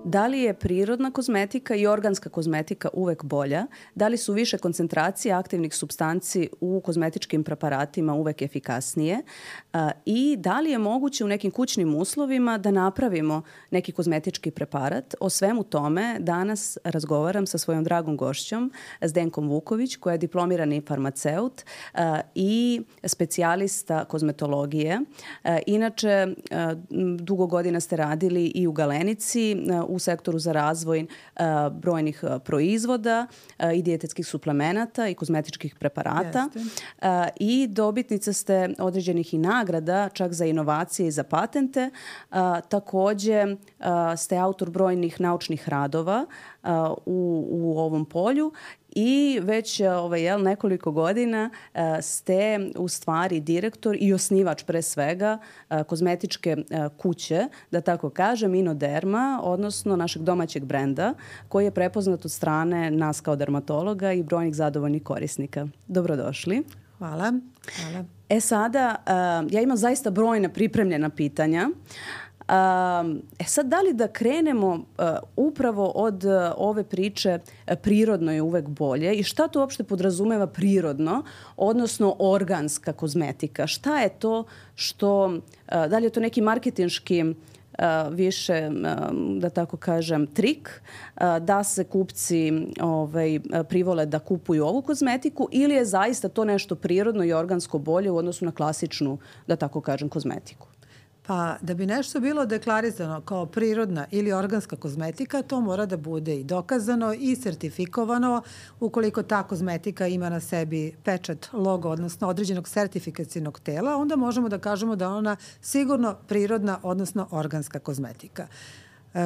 Da li je prirodna kozmetika i organska kozmetika uvek bolja? Da li su više koncentracije aktivnih supstanci u kozmetičkim preparatima uvek efikasnije? I da li je moguće u nekim kućnim uslovima da napravimo neki kozmetički preparat? O svemu tome danas razgovaram sa svojom dragom gošćom, Zdenkom Vuković, koja je diplomirani farmaceut i specijalista kozmetologije. Inače, dugo godina ste radili i u Galenici, u sektoru za razvoj brojnih proizvoda i dijetetskih suplemenata i kozmetičkih preparata. I dobitnica ste određenih i nagrada, čak za inovacije i za patente. Takođe ste autor brojnih naučnih radova u ovom polju i već nekoliko godina ste u stvari direktor i osnivač pre svega kozmetičke kuće, da tako kažem, Inoderma, odnosno našeg domaćeg brenda koji je prepoznat od strane nas kao dermatologa i brojnih zadovoljnih korisnika. Dobrodošli. Hvala. Hvala. Sada, ja imam zaista brojna pripremljena pitanja. Sad, da li da krenemo upravo od ove priče prirodno je uvek bolje i šta to uopšte podrazumeva prirodno, odnosno organska kozmetika? Šta je to što, da li je to neki marketinški više, da tako kažem, trik da se kupci privole da kupuju ovu kozmetiku ili je zaista to nešto prirodno i organsko bolje u odnosu na klasičnu, da tako kažem, kozmetiku? Pa da bi nešto bilo deklarisano kao prirodna ili organska kozmetika, to mora da bude i dokazano i sertifikovano. Ukoliko ta kozmetika ima na sebi pečat, logo, odnosno određenog sertifikacijnog tela, onda možemo da kažemo da ona sigurno prirodna, odnosno organska kozmetika.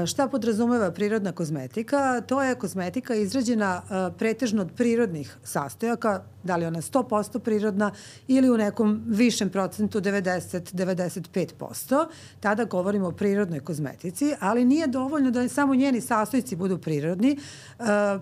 Šta podrazumeva prirodna kozmetika? To je kozmetika izrađena pretežno od prirodnih sastojaka, da li ona 100% prirodna ili u nekom višem procentu 90-95%. Tada govorimo o prirodnoj kozmetici, ali nije dovoljno da samo njeni sastojci budu prirodni.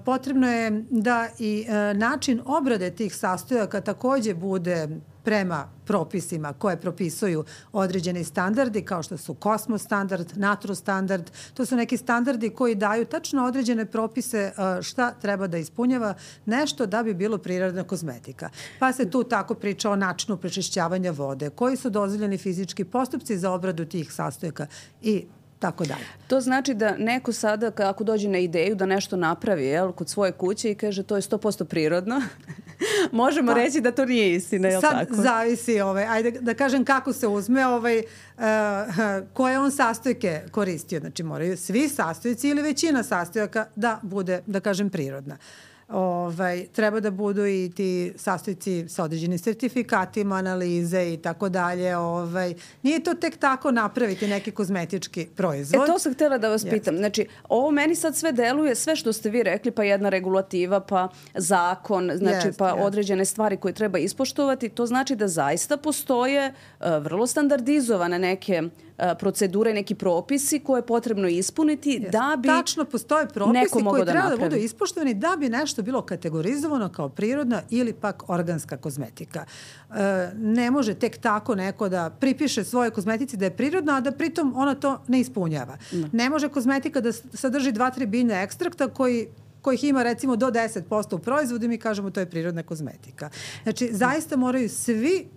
Potrebno je da i način obrade tih sastojaka takođe bude prema propisima koje propisuju određeni standardi kao što su Kosmo standard, Naturo standard. To su neki standardi koji daju tačno određene propise šta treba da ispunjava nešto da bi bilo prirodna kozmetika. Pa se tu tako priča o načinu prečišćavanja vode, koji su dozvoljeni fizički postupci za obradu tih sastojaka i tako dalje. To znači da neko sada, ako dođe na ideju da nešto napravi kod svoje kuće i kaže to je 100% prirodno, možemo reći da to nije istina, je li tako? Sad zavisi, ajde da kažem kako se uzme, koje on sastojke koristio. Znači moraju svi sastojci ili većina sastojaka da bude, da kažem, prirodna. Treba da budu i ti sastojci sa određenim sertifikatima, analize i tako dalje. Nije to tek tako napraviti neki kozmetički proizvod. To sam htjela da vas pitam. Znači, ovo meni sad sve deluje, sve što ste vi rekli, pa jedna regulativa, pa zakon, znači pa određene stvari koje treba ispoštovati. To znači da zaista postoje vrlo standardizovane neke procedure, neki propisi koje je potrebno ispuniti da bi tačno postoje propisi koji treba da budu ispoštovani da bi nešto bilo kategorizovano kao prirodna ili pak organska kozmetika. Ne može tek tako neko da pripiše svojoj kozmetici da je prirodna, a da pritom ona to ne ispunjava. Ne može kozmetika da sadrži 2-3 biljna ekstrakta kojih ima recimo do 10% u proizvodu i mi kažemo to je prirodna kozmetika. Znači, zaista moraju svi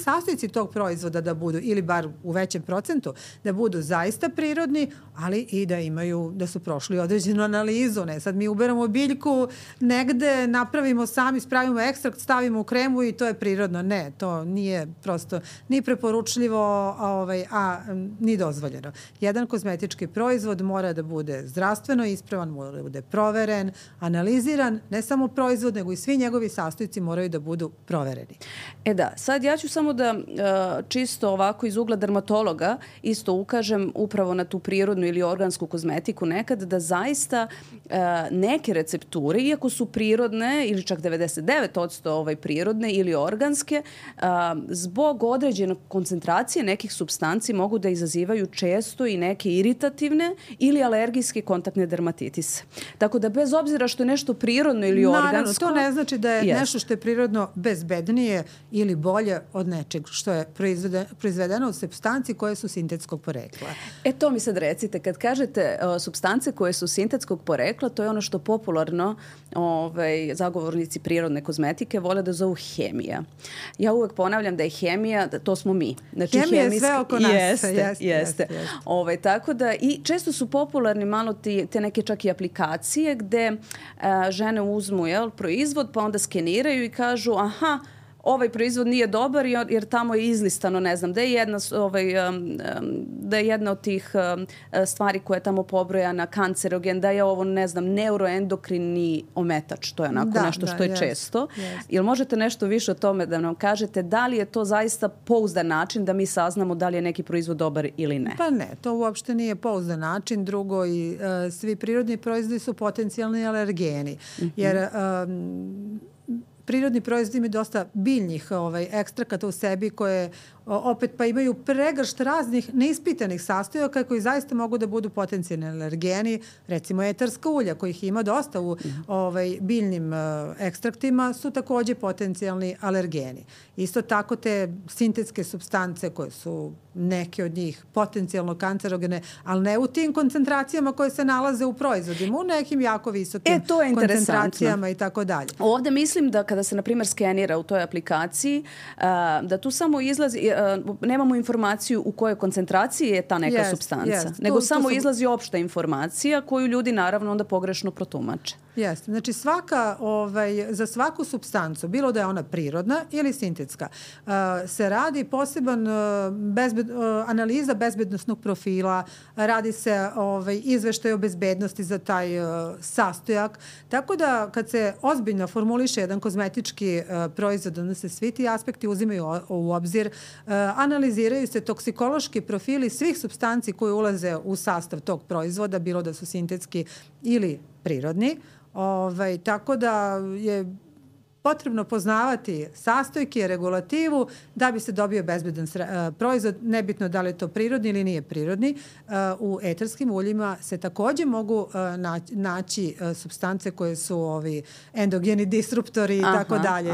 sastojci tog proizvoda da budu, ili bar u većem procentu, da budu zaista prirodni, ali i da imaju, da su prošli određenu analizu. Ne, sad mi uberamo biljku, negde napravimo sami, spravimo ekstrakt, stavimo u kremu i to je prirodno. Ne, to nije prosto ni preporučljivo, ni dozvoljeno. Jedan kozmetički proizvod mora da bude zdravstveno ispravan, mora da bude proveren, analiziran, ne samo proizvod, nego i svi njegovi sastojci moraju da budu provereni. Sad ja ću samo da čisto ovako iz ugla dermatologa isto ukažem upravo na tu prirodnu ili organsku kozmetiku nekad, da zaista neke recepture, iako su prirodne ili čak 99% prirodne ili organske, zbog određene koncentracije nekih supstanci mogu da izazivaju često i neke iritativne ili alergijske kontaktne dermatitise. Tako da bez obzira što je nešto prirodno ili organsko... Naravno, to ne znači da je nešto što je prirodno bezbednije ili bolje od nečeg što je proizvedeno od supstanci koje su sintetskog porekla. To mi sad recite, kad kažete supstance koje su sintetskog porekla, to je ono što popularno zagovornici prirodne kozmetike vole da zovu hemija. Ja uvek ponavljam da je hemija, to smo mi. Znači, hemija je sve oko nas. Jeste. Tako da, i često su popularni malo te neke čak i aplikacije gde žene uzmu proizvod, pa onda skeniraju i kažu aha, ovaj proizvod nije dobar jer tamo je izlistano, ne znam, da je jedna od tih stvari koja je tamo pobrojana kancerogen, da je ovo, ne znam, neuroendokrini ometač. To je onako nešto što je često. Jel možete nešto više o tome da nam kažete da li je to zaista pouzdan način da mi saznamo da li je neki proizvod dobar ili ne? Pa ne, to uopšte nije pouzdan način. Drugo, i svi prirodni proizvodi su potencijalni alergeni. Jer prirodni proizvodi imaju dosta biljnih ekstrakata u sebi koje opet pa imaju pregršt raznih neispitanih sastojaka koji zaista mogu da budu potencijalni alergeni. Recimo etarska ulja kojih ima dosta u biljnim ekstraktima su takođe potencijalni alergeni. Isto tako te sintetske supstance koje su neke od njih potencijalno kancerogene, ali ne u tim koncentracijama koje se nalaze u proizvodima, u nekim jako visokim koncentracijama i tako dalje. Ovde mislim da kada se, na primjer, skenira u toj aplikaciji, da tu samo izlazi, nemamo informaciju u kojoj koncentraciji je ta neka supstanca, nego samo izlazi opšta informacija koju ljudi naravno onda pogrešno protumače. Jeste. Znači za svaku supstancu, bilo da je ona prirodna ili sintetska, se radi poseban analiza bezbednosnog profila, radi se izveštaj o bezbednosti za taj sastojak. Tako da kad se ozbiljno formuliše jedan kozmetički proizvod, onda se svi ti aspekti uzimaju u obzir, analiziraju se toksikološki profili svih supstanci koje ulaze u sastav tog proizvoda, bilo da su sintetski ili prirodni. Tako da je potrebno poznavati sastojke, regulativu da bi se dobio bezbedan proizvod, nebitno da li je to prirodni ili nije prirodni. U etarskim uljima se takođe mogu naći supstance koje su endogeni disruptori i tako dalje,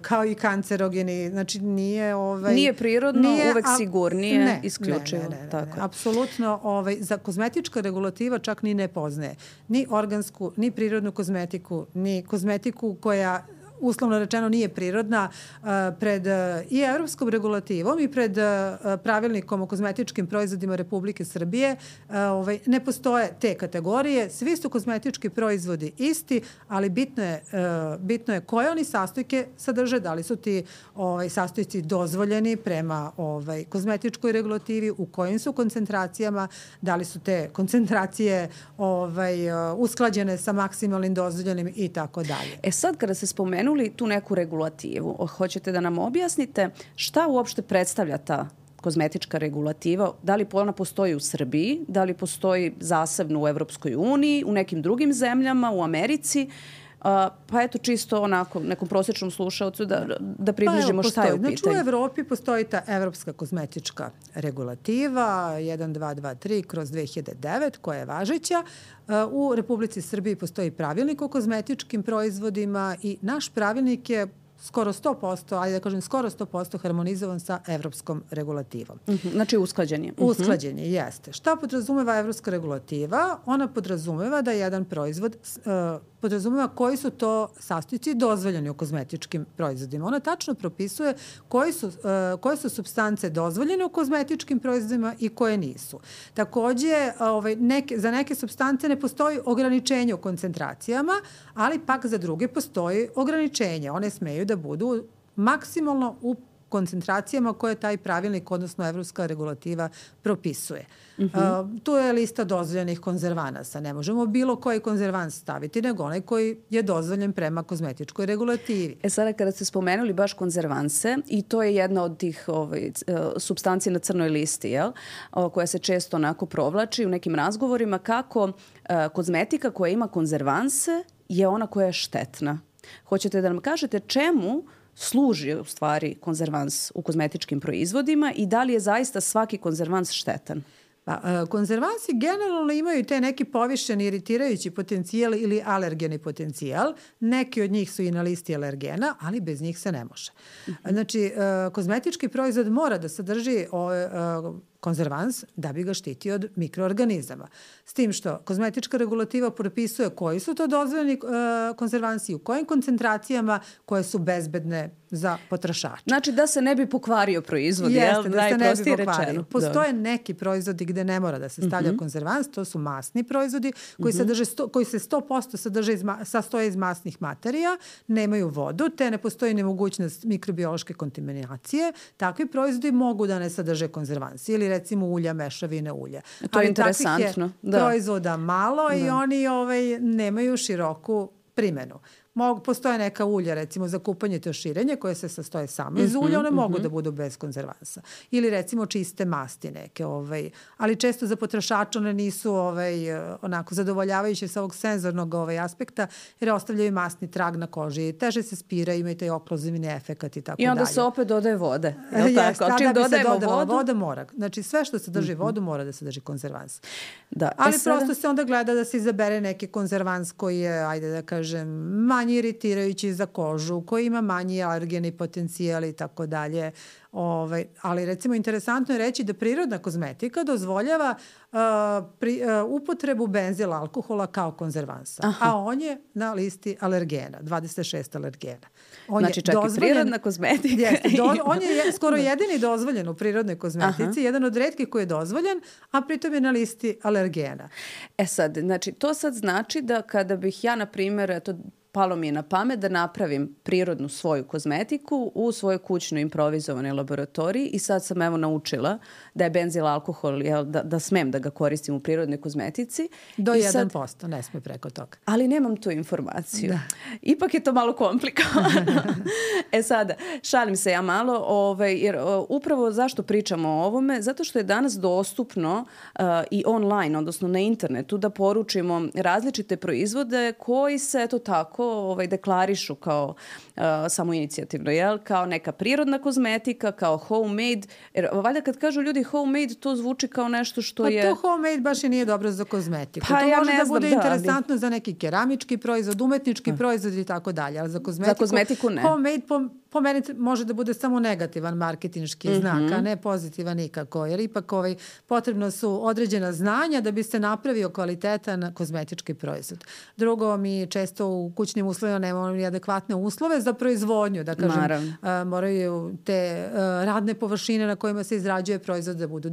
kao i kancerogeni. Znači nije prirodno, uvek sigurnije, isključivo. Ne. Apsolutno, za kozmetička regulativa čak ni ne poznaje ni organsku, ni prirodnu kozmetiku, ni kozmetiku koja uslovno rečeno nije prirodna, pred i evropskom regulativom i pred pravilnikom o kozmetičkim proizvodima Republike Srbije ne postoje te kategorije. Svi su kozmetički proizvodi isti, ali bitno je koje oni sastojke sadrže, da li su ti sastojci dozvoljeni prema kozmetičkoj regulativi, u kojim su koncentracijama, da li su te koncentracije usklađene sa maksimalnim dozvoljenim i tako dalje. Sad kada se spomenuli tu neku regulativu, hoćete da nam objasnite šta uopšte predstavlja ta kozmetička regulativa, da li ona postoji u Srbiji, da li postoji zasebno u Evropskoj uniji, u nekim drugim zemljama, u Americi, pa eto čisto onako nekom prosječnom slušaocu da približimo šta je u pitanju. Znači u Evropi postoji ta Evropska kozmetička regulativa 1223/2009 koja je važeća. U Republici Srbiji postoji pravilnik o kozmetičkim proizvodima i naš pravilnik je skoro 100%, ajde da kažem skoro 100% harmonizovan sa evropskom regulativom. Znači usklađen je. Usklađen je, jeste. Šta podrazumeva evropska regulativa? Ona podrazumeva da jedan proizvod podrazumeva koji su to sastojci dozvoljeni u kozmetičkim proizvodima. Ona tačno propisuje koje su supstance dozvoljene u kozmetičkim proizvodima i koje nisu. Takođe, za neke supstance ne postoji ograničenje u koncentracijama, ali pak za druge postoji ograničenje. One smeju da budu maksimalno u koncentracijama koje taj pravilnik, odnosno evropska regulativa propisuje. Tu je lista dozvoljenih konzervanasa. Ne možemo bilo koji konzervans staviti, nego onaj koji je dozvoljen prema kozmetičkoj regulativi. Sada kada ste spomenuli baš konzervanse, i to je jedna od tih supstanci na crnoj listi, koja se često onako provlači u nekim razgovorima, kako kozmetika koja ima konzervanse je ona koja je štetna. Hoćete da nam kažete čemu služi u stvari konzervans u kozmetičkim proizvodima i da li je zaista svaki konzervans štetan? Konzervansi generalno imaju te neki povišeni iritirajući potencijal ili alergeni potencijal. Neki od njih su i na listi alergena, ali bez njih se ne može. Znači, kozmetički proizvod mora da sadrži konzervans da bi ga štitio od mikroorganizama. S tim što kozmetička regulativa propisuje koji su to dozvoljeni konzervansi, u kojim koncentracijama koje su bezbedne za potrošača. Znači da se ne bi pokvario proizvod, jeste, da se ne bi pokvario. Postoje neki proizvodi gde ne mora da se stavlja konzervans, to su masni proizvodi koji se 100% sastoje iz masnih materija, nemaju vodu, te ne postoji nemogućnost mikrobiološke kontaminacije. Takvi proizvodi mogu da ne sadrže konzervansi ili recimo ulja, mešavine ulja. To je interesantno. Takvih je proizvoda malo i oni nemaju široku primenu. Postoje neka ulja, recimo za kupanje i tuširanje, koje se sastoje samo iz ulja, one mogu da budu bez konzervansa. Ili recimo čiste masti neke. Ali često za potrošača one nisu onako zadovoljavajuće sa ovog senzornog aspekta, jer ostavljaju masni trag na koži. Teže se spira, imaju taj okluzivni efekat i tako dalje. I onda se opet dodaje vode. Jeste, a da bi se dodala voda mora. Znači sve što sadrži vodu mora da sadrži konzervans. Da. Ali prosto se onda gleda da se izabere neki konzervans koji je, ajde da kažem, manje iritirajući za kožu, koji ima manji alergeni potencijal i tako dalje. Ali recimo interesantno je reći da prirodna kozmetika dozvoljava upotrebu benzil alkohola kao konzervansa. A on je na listi alergena, 26 alergena. Znači čak i prirodna kozmetika. On je skoro jedini dozvoljen u prirodnoj kozmetici, jedan od retkih koji je dozvoljen, a pritom je na listi alergena. Sad, znači to sad znači da kada bih ja, na primjer, palo mi je na pamet da napravim prirodnu svoju kozmetiku u svojoj kućnoj improvizovanoj laboratoriji i sad sam naučila da je benzil alkohol, da smem da ga koristim u prirodnoj kozmetici. Do 1%, ne smije preko toga. Ali nemam tu informaciju. Da. Ipak je to malo komplikovano. Sada, šalim se ja malo, jer upravo zašto pričamo o ovome? Zato što je danas dostupno i online, odnosno na internetu, da poručimo različite proizvode koji se tako deklarišu kao samoinicijativno, kao neka prirodna kozmetika, kao homemade. Jer valjda kad kažu ljudi homemade, to zvuči kao nešto što je... To homemade baš i nije dobro za kozmetiku. To može da bude interesantno za neki keramički proizvod, umetnički proizvod i tako dalje, ali za kozmetiku ne. Homemade po meni može da bude samo negativan marketinški znak, a ne pozitivan nikako, jer ipak potrebno su određena znanja da bi se napravio kvalitetan kozmetički proizvod. Drugo, mi često u kućnim uslovima nemamo ni adekvatne uslove za proizvodnju, da kažem, moraju te radne površine na kojima se izrađuje proizvod da budu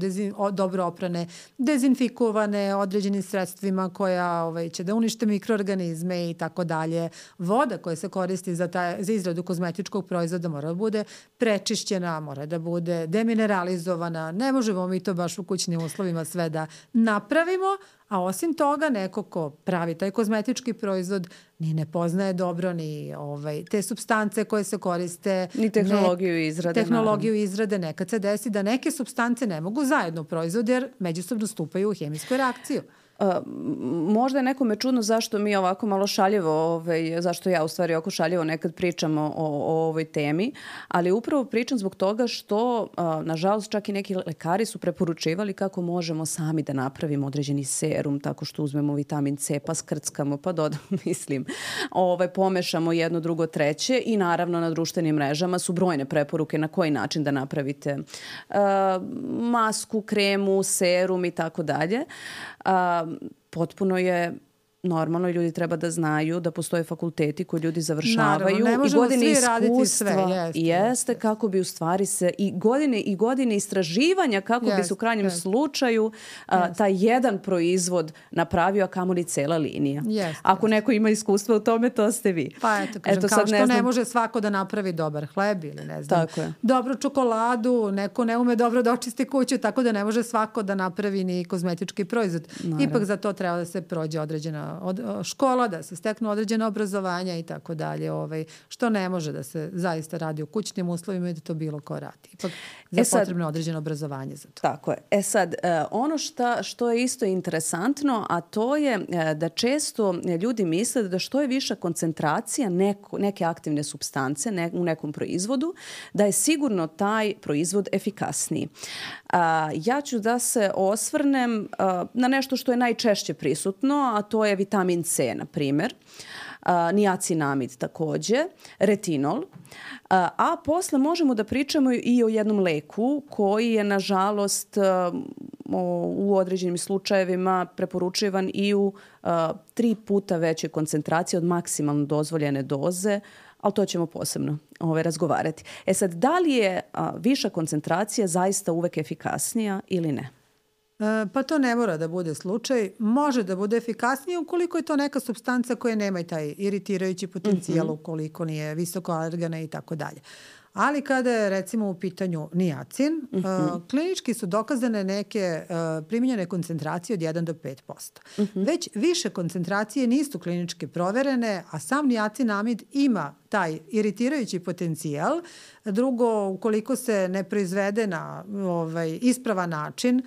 dobro oprane, dezinfikovane određenim sredstvima koja će da unište mikroorganizme i tako dalje. Voda koja se koristi za izradu kozmetičkog proizvoda mora da bude prečišćena, mora da bude demineralizovana. Ne možemo mi to baš u kućnim uslovima sve da napravimo, a osim toga neko ko pravi taj kozmetički proizvod ni ne poznaje dobro ni te supstance koje se koriste. Ni tehnologiju izrade. Tehnologiju izrade. Nekad se desi da neke supstance ne mogu zajedno proizvodi jer međusobno stupaju u hemijsku reakciju. Možda je nekome čudno zašto mi ovako malo šaljivo, zašto ja u stvari oko šaljivo nekad pričamo o ovoj temi, ali upravo pričam zbog toga što, nažalost, čak i neki lekari su preporučivali kako možemo sami da napravimo određeni serum tako što uzmemo vitamin C, pa skrckamo, pa dodamo, pomešamo jedno, drugo, treće i naravno na društvenim mrežama su brojne preporuke na koji način da napravite masku, kremu, serum i tako dalje. Potpuno je normalno i ljudi treba da znaju da postoje fakulteti koji ljudi završavaju. Naravno, ne možemo svi raditi sve. Jeste kako bi u stvari se i godine istraživanja kako bi se u krajnjem slučaju taj jedan proizvod napravio, a kamoli cela linija. Ako neko ima iskustva u tome, to ste vi. Pa eto, kažem, kao što ne može svako da napravi dobar hleb ili ne znam, dobru čokoladu, neko ne ume dobro da očisti kuću, tako da ne može svako da napravi ni kozmetički proizvod. Ipak za to treba da se prođe određena škola, da se steknu određena obrazovanja i tako dalje, što ne može da se zaista radi u kućnim uslovima i da to bilo ko radi. Ipak potrebno određeno obrazovanje za to. Tako je. Sad, ono što je isto interesantno, a to je da često ljudi misle da što je viša koncentracija neke aktivne supstance u nekom proizvodu, da je sigurno taj proizvod efikasniji. Ja ću da se osvrnem na nešto što je najčešće prisutno, a to je vitamin C, na primjer, niacinamid takođe, retinol, a posle možemo da pričamo i o jednom leku koji je, nažalost, u određenim slučajevima preporučivan i u 3 puta veće koncentracije od maksimalno dozvoljene doze, ali to ćemo posebno razgovarati. Sad, da li je viša koncentracija zaista uvek efikasnija ili ne? Pa to ne mora da bude slučaj. Može da bude efikasnije ukoliko je to neka supstanca koja nema i taj iritirajući potencijal, ukoliko nije visoko alergena i tako dalje. Ali kada je recimo u pitanju niacin, klinički su dokazane neke primjenjene koncentracije od 1 do 5%. Već više koncentracije nisu klinički proverene, a sam niacinamid ima taj iritirajući potencijal. Drugo, ukoliko se ne proizvede na ispravan način,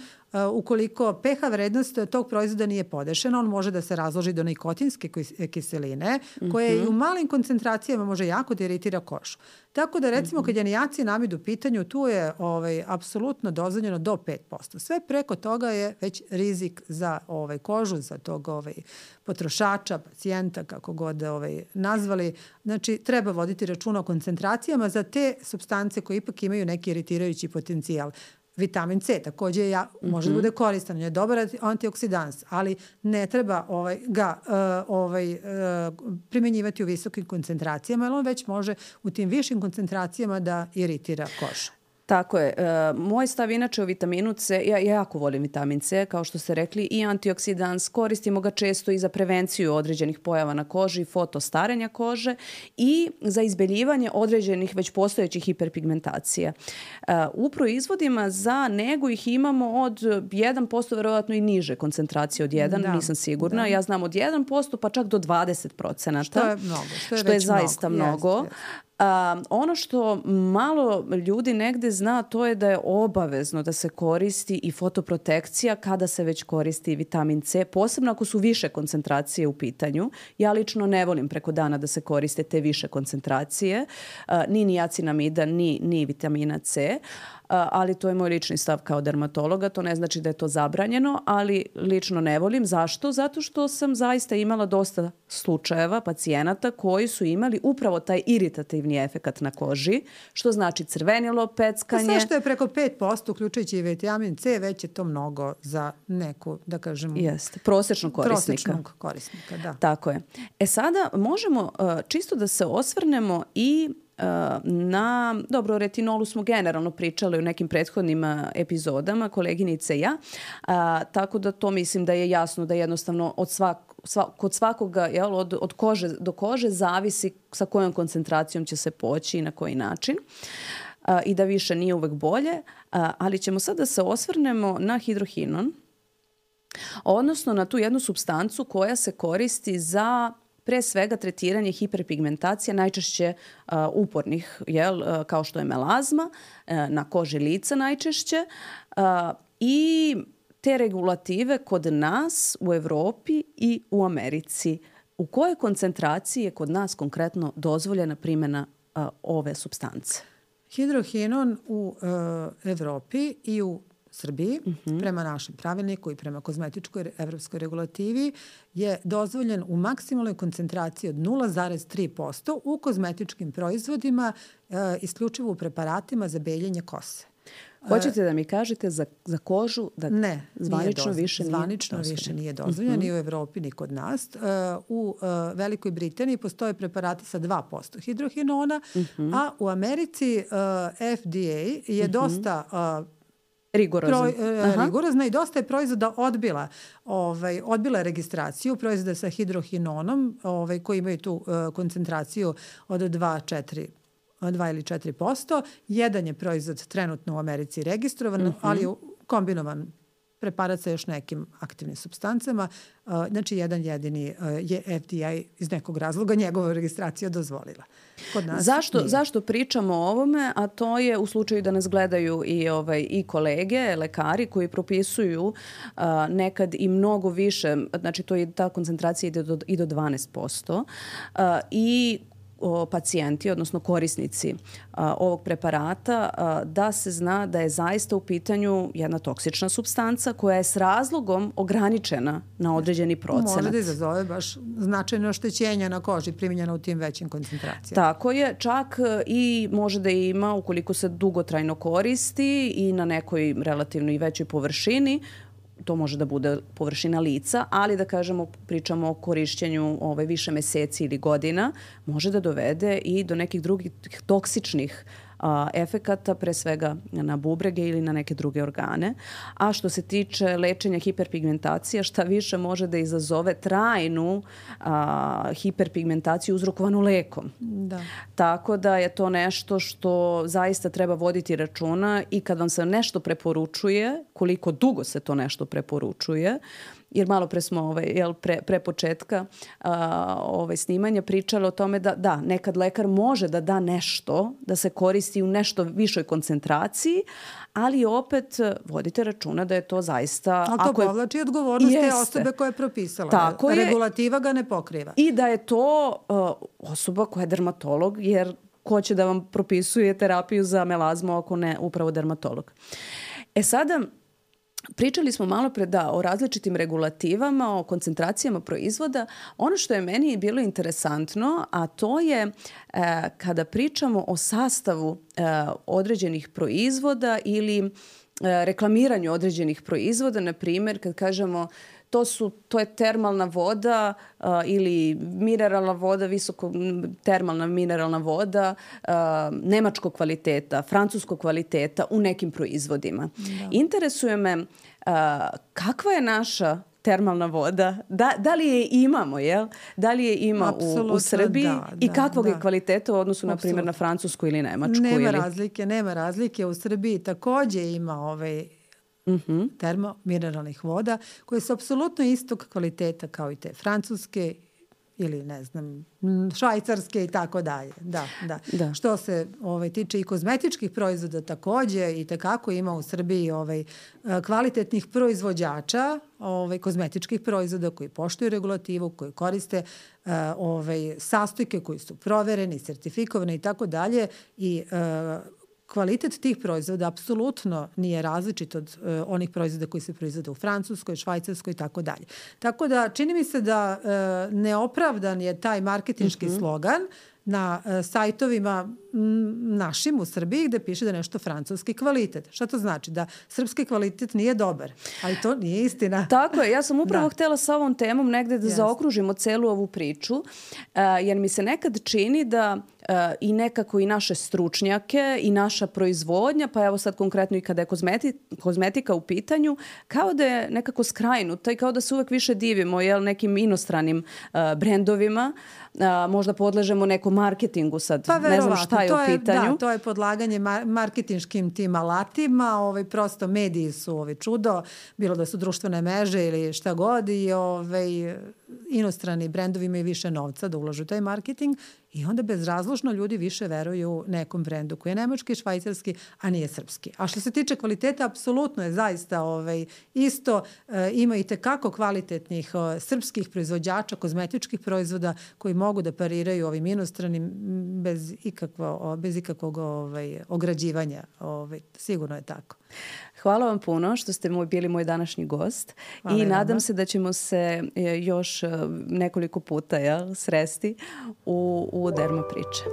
ukoliko pH vrednost tog proizvoda nije podešena, on može da se razloži do nikotinske kiseline, koja i u malim koncentracijama može jako da iritira kožu. Tako da recimo kad je niacinamid u pitanju, tu je apsolutno dozvoljeno do 5%. Sve preko toga je već rizik za kožu, za tog potrošača, pacijenta, kako god nazvali. Znači, treba voditi računa o koncentracijama za te supstance koje ipak imaju neki iritirajući potencijal. Vitamin C takođe može da bude koristan, on je dobar antioksidans, ali ne treba ga primenjivati u visokim koncentracijama, jer on već može u tim višim koncentracijama da iritira kožu. Tako je. Moj stav inače o vitaminu C, ja jako volim vitamin C, kao što ste rekli, i antioksidans, koristimo ga često i za prevenciju određenih pojava na koži, fotostarenja kože i za izbeljivanje određenih već postojećih hiperpigmentacija. U proizvodima za negu ih imamo od 1%, verovatno i niže koncentracije od 1, nisam sigurna. Ja znam od 1% pa čak do 20%. Što je mnogo. Što je zaista mnogo. Ono što malo ljudi negde zna, to je da je obavezno da se koristi i fotoprotekcija kada se već koristi vitamin C, posebno ako su više koncentracije u pitanju. Ja lično ne volim preko dana da se koriste te više koncentracije, ni niacinamida, ni vitamina C. Ali to je moj lični stav kao dermatologa. To ne znači da je to zabranjeno, ali lično ne volim. Zašto? Zato što sam zaista imala dosta slučajeva pacijenata koji su imali upravo taj iritativni efekat na koži, što znači crvenilo, peckanje. Sve što je preko 5%, uključujući i vitamin C, već je to mnogo za neku, da kažem... Jeste, prosječnog korisnika. Prosječnog korisnika, da. Tako je. Sada možemo čisto da se osvrnemo i dobro, o retinolu smo generalno pričali u nekim prethodnim epizodama, koleginice i ja, tako da to mislim da je jasno da jednostavno kod svakoga od kože do kože zavisi sa kojom koncentracijom će se poći i na koji način i da više nije uvek bolje, ali ćemo sad da se osvrnemo na hidrohinon, odnosno na tu jednu supstancu koja se koristi za pre svega tretiranje hiperpigmentacije, najčešće upornih, kao što je melazma, na koži lica najčešće. I te regulative kod nas u Evropi i u Americi. U kojoj koncentraciji je kod nas konkretno dozvoljena primjena ove supstance? Hidrohinon u Evropi i u Srbiji, prema našem pravilniku i prema kozmetičkoj evropskoj regulativi, je dozvoljen u maksimalnoj koncentraciji od 0,3% u kozmetičkim proizvodima, isključivo u preparatima za beljenje kose. Hoćete da mi kažete za kožu da zvanično više nije dozvoljeno, ni u Evropi, ni kod nas. U Velikoj Britaniji postoje preparati sa 2% hidrohinona, a u Americi FDA je dosta rigorozna i dosta je proizvoda odbila registraciju proizvoda sa hidrohinonom koji imaju tu koncentraciju od 2 ili 4%. Jedan je proizvod trenutno u Americi registrovan, ali je kombinovan preparat sa još nekim aktivnim supstancama. Znači, jedan jedini je FDA iz nekog razloga njegova registracija dozvolila. Kod nas Zašto pričamo o ovome? A to je u slučaju da nas gledaju i kolege, lekari koji propisuju nekad i mnogo više, znači ta koncentracija ide i do 12%, i pacijenti, odnosno korisnici ovog preparata, da se zna da je zaista u pitanju jedna toksična supstanca koja je s razlogom ograničena na određeni procenat. Može da izazove baš značajno oštećenja na koži primjenjena u tim većim koncentracijama. Tako je, čak i može da ima, ukoliko se dugotrajno koristi i na nekoj relativno i većoj površini, to može da bude površina lica, ali da kažemo, pričamo o korišćenju više meseci ili godina, može da dovede i do nekih drugih toksičnih efekata, pre svega na bubrege ili na neke druge organe. A što se tiče lečenja hiperpigmentacije, šta više može da izazove trajnu hiperpigmentaciju uzrokovanu lekom. Da. Tako da je to nešto što zaista treba voditi računa i kad vam se nešto preporučuje, koliko dugo se to nešto preporučuje, jer malo pre smo pre početka snimanja pričali o tome da nekad lekar može da da nešto, da se koristi u nešto višoj koncentraciji, ali opet vodite računa da je to zaista... Ali to povlači odgovornost te osobe koja je propisala. Tako je. Regulativa ga ne pokriva. I da je to osoba koja je dermatolog, jer ko će da vam propisuje terapiju za melazmu ako ne upravo dermatolog. Sada... Pričali smo malo pre o različitim regulativama, o koncentracijama proizvoda. Ono što je meni bilo interesantno, a to je kada pričamo o sastavu određenih proizvoda ili reklamiranju određenih proizvoda, na primjer kad kažemo to je termalna voda ili mineralna voda, visoko termalna mineralna voda nemačkog kvaliteta, francuskog kvaliteta u nekim proizvodima. Da. Interesuje me kakva je naša termalna voda, da li je imamo, jel? Da li je ima u Srbiji i kakvog je kvaliteta u odnosu, na primjer, na Francusku ili Nemačku? Nema razlike. U Srbiji takođe ima termomineralnih voda koje su apsolutno istog kvaliteta kao i te francuske ili ne znam, švajcarske i tako dalje. Da. Što se tiče i kozmetičkih proizvoda takođe i tekako ima u Srbiji kvalitetnih proizvođača kozmetičkih proizvoda koji poštuju regulativu, koji koriste sastojke koji su provereni, sertifikovani i tako dalje i kvalitet tih proizvoda apsolutno nije različit od onih proizvoda koji se proizvode u Francuskoj, Švajcarskoj i tako dalje. Tako da čini mi se da neopravdan je taj marketinški slogan na sajtovima našim u Srbiji gde piše da je nešto francuski kvalitet. Šta to znači? Da srpski kvalitet nije dobar. Ali to nije istina. Tako je. Ja sam upravo htjela sa ovom temom negde da zaokružimo celu ovu priču, jer mi se nekad čini da i nekako i naše stručnjake i naša proizvodnja, pa evo sad konkretno i kada je kozmetika u pitanju, kao da je nekako skrajnuta i kao da se uvek više divimo nekim inostranim brendovima. Možda podležemo nekom marketingu sad. Pa ne znam šta je u pitanju. Da, to je podlaganje marketinškim tim alatima. Prosto mediji su čudo, bilo da su društvene mreže ili šta god i inostrani brendovi imaju više novca da ulažu taj marketing i onda bezrazložno ljudi više veruju nekom brendu koji je nemački, švajcarski, a nije srpski. A što se tiče kvaliteta, apsolutno je zaista isto. Ima i tekako kvalitetnih srpskih proizvođača, kozmetičkih proizvoda koji mogu da pariraju ovim inostranim bez ikakvog ograđivanja. Sigurno je tako. Hvala vam puno što ste bili moj današnji gost. Hvala i nadam se da ćemo se još nekoliko puta sresti u Derma priče.